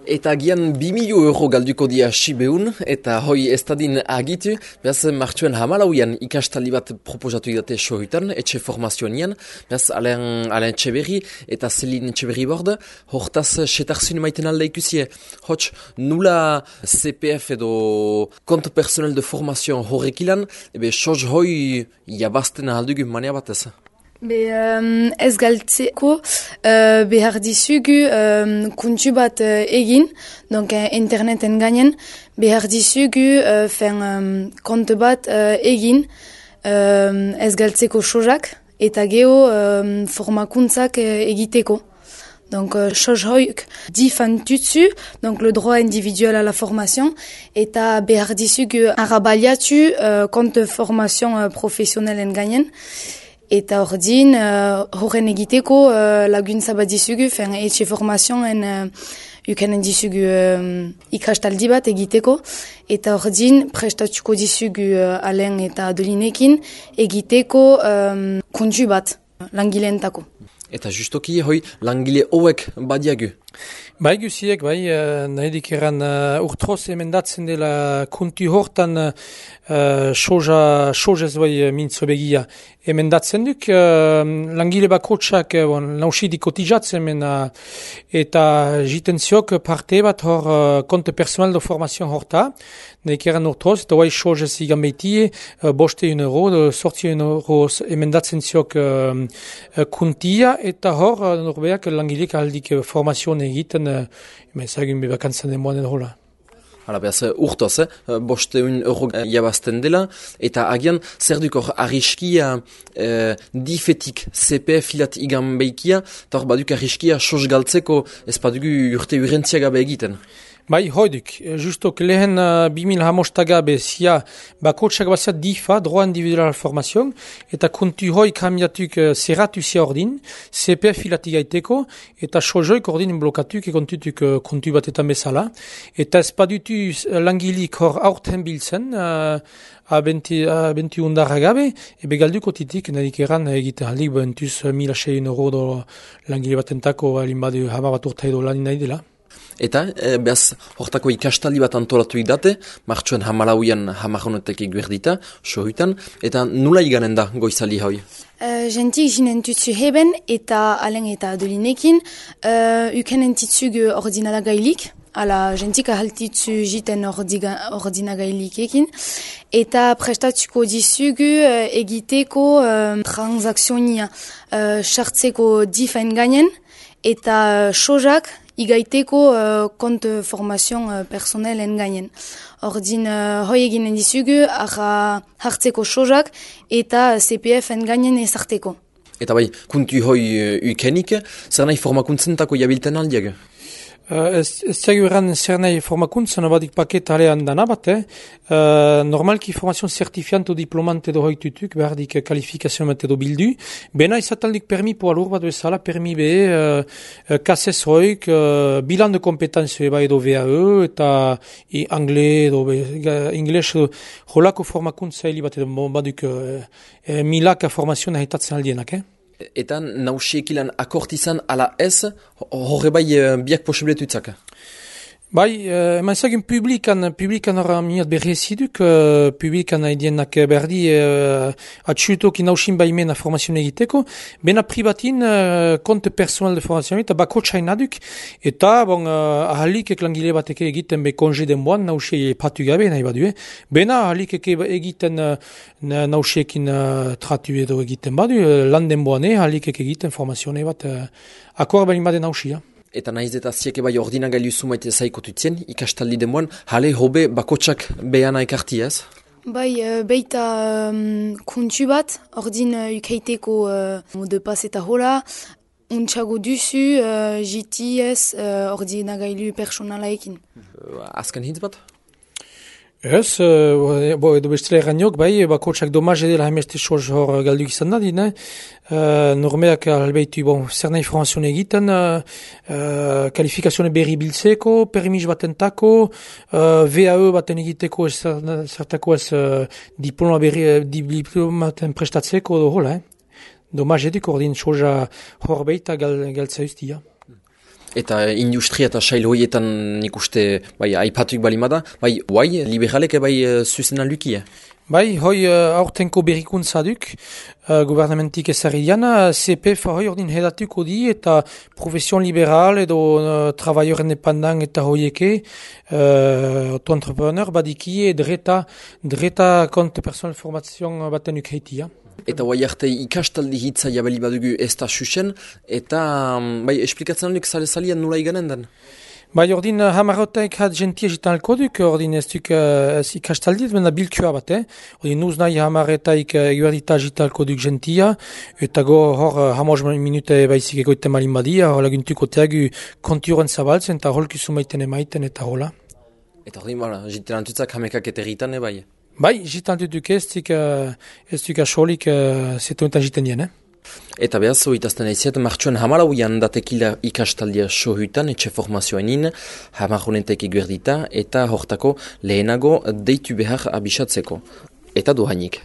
Eta gian 2.000 euro galduko dia Sibeun, eta hoi ez dadin agitu, behaz martxuen hamalauian ikastaldi bat proposatu idate sohutan, etxe formazioan behaz Alain Txeberri eta Celine Txeberri bord, hortaz setarzun maiten alde ikusie. Hots, nula CPF edo konto personel de formazioan horrekilan, ebe soz hoi jabazten aldugu mania batez. Ez galtzeko behar dizugu kontu bat egin, donc interneten gainen behar dizugu kontu bat egin ez galtzeko sozak eta geho formakuntzak egiteko. Donc, hoik difantutsu, donc le droit individuel à la formation, eta behar dizugu arabaliatu compte formation professionnelle gainen. Eta ordin, horren egiteko laguntza bat dizugu, etxe formazioen ukanen dizugu ikastaldi bat egiteko. Eta ordin, prestatuko dizugu Alain eta Adolinekin egiteko kontu bat, langileentako. Eta justoki hoi langile hauek badiagu. Bai guziek, nahidik eran urtroz emendatzen dela kontu hortan sozez bai mintzo begia. Emendatzen duk, langile bakotsak nausidik kotizatzen eta jiten ziok parte bat hor konte personal de formazioan horta. Nahidik eran urtroz, eta bai sozez igan behitie, boste €1, sortzi €1 emendatzen ziok kontia, eta hor norbeak langilek aldik formazioan egiten ezagin bebakantzen demoan hola. Hala behaz, urtoz, €100 jabazten dela, eta agian zer duk hor arriskia difetik CPF filat igan behikia, eta hor baduk arriskia soz galtzeko ez badugu urte urentziagabe egiten. Bai, hoiduk, justok lehen 2015 bezia bakotsak bazia DIFA, droit individual formazioan, eta kontu hoi kamiatuk zerratu zia ordin, CPF filatik gaiteko, eta sozoik ordin blokatuk kontutuk kontu batetan bezala. Eta ez badutu langilik hor aurten biltzen, abenti undarra gabe, ebe galduko titik nadik eran egiten aldik bentuz €1.600 do langile batentako alin badu hama bat urta edo lan nahi dela. Eta, behaz, hortako ikastaldi bat antolatu idate, martxuen hamalauian hamaronetek eguerdita, sohutan, eta nula iganen da goizali hoi? Gentik jinen tutsu heben eta Alain eta Adolinekin, ukenen titzugu ordinala gailik, ala gentik ahaltitzu jiten ordinagailik ekin, eta prestatuko dizugu egiteko transakzionia sartzeko difen gainen, eta sozak igaiteko kont formazioan personelen gainen. Ordin hoi eginen dizugu hartzeko sozak eta CPF-en gainen ezarteko. Eta bai, kuntu hoi ukenik, zer nahi formakuntzentako jabilten aldiag? Ez zaigu eran zer nahi formakuntzen abadik paket alean dana bat, normalki formazion zertifianto diplomante edo hoitutuk, behardik kalifikazioan bat edo bildu, bena izataldik permi po alur bat bezala, permi be, kasez hoik, bilan de kompetenzio eba edo VAE, eta angle edo ingles edo holako formakuntza heli bat edo baduk milaka formazion ahitatzen aldienak, Eta nausiekilan akortizan ala ez, horre bai biak posibletutzak? Bai, eman ezagin publikan horra miat berreziduk, publikan haidienak berdi atxutok inausin baimena formazioan egiteko, bena pribatin konte personal de formazioan eta bakotsain aduk, eta ahalik langile bateke egiten be konje denboan nausie patu gabe nahi badu, bena ahalik egiten nausiekin tratu edo egiten badu, lan denboan ahalik egiten formazioan bat akor balin baden nausia. Eta nahiz eta zieke bai ordinagailu zumaite zaikotutzen, ikastaldi demoan, jale hobe bakotsak behana ekarti ez? Bai, beita kontu bat, ordin ukeiteko mode pas eta hola, untxago duzu GTS ordinagailu personalaekin. Azken hitz bat? Ez, edo bestela erraniok, bai, bakotsak domaz edela hemeste soz hor galduk izan da, dine. Normeak albeitu, zer nahi formazioan egiten, kalifikazioen berri biltzeko, permis batentako, VAE baten egiteko, zertako ez diploma diplomaten prestatzeko, hola, domaz eduk ordin soza hor beita galtza ustia. Eta industria eta sail hoietan nik uste, bai, aipatuik balimada, bai, guai, liberalek bai zuzenan lukia. Bai, hoi aurtenko berrikuntza duk, gubernamentik ezarri diana, CPF hoi ordin hedatuko di eta profesion liberal edo travailleur independant eta hoieke, auto-entrepreneur badiki dreta kont personal formation baten ukeitia. Eta guai arte ikastaldi hitza jabeli badugu ez da susen, eta bai, esplikatzen duk sale-salian nula iganen den? Bai, ordin hamarrotaik hat gentia jitan alkoduk, ordin ez duk ikastaldi, benda bilkua bat, Ordin nuz nahi hamarretaik eguerdita jitan alkoduk gentia, eta go hor hamoz minute baizik egoite malin badia, hor laguntuko teagu konturen zabaltzen, eta holku sumaiten emaiten, eta hola. Eta ordin, jitan antutzak hamekak eta egiten, bai? Bai, jitan duk ez duk asolik zetunetan jiten dien, Eta behaz, oitazten aiziat, martxuan hamalauian datekila ikastaldia sohutan, etxe formazioenin, hamarronetek eguerdita, eta hortako lehenago deitu behar abisatzeko. Eta dohainik.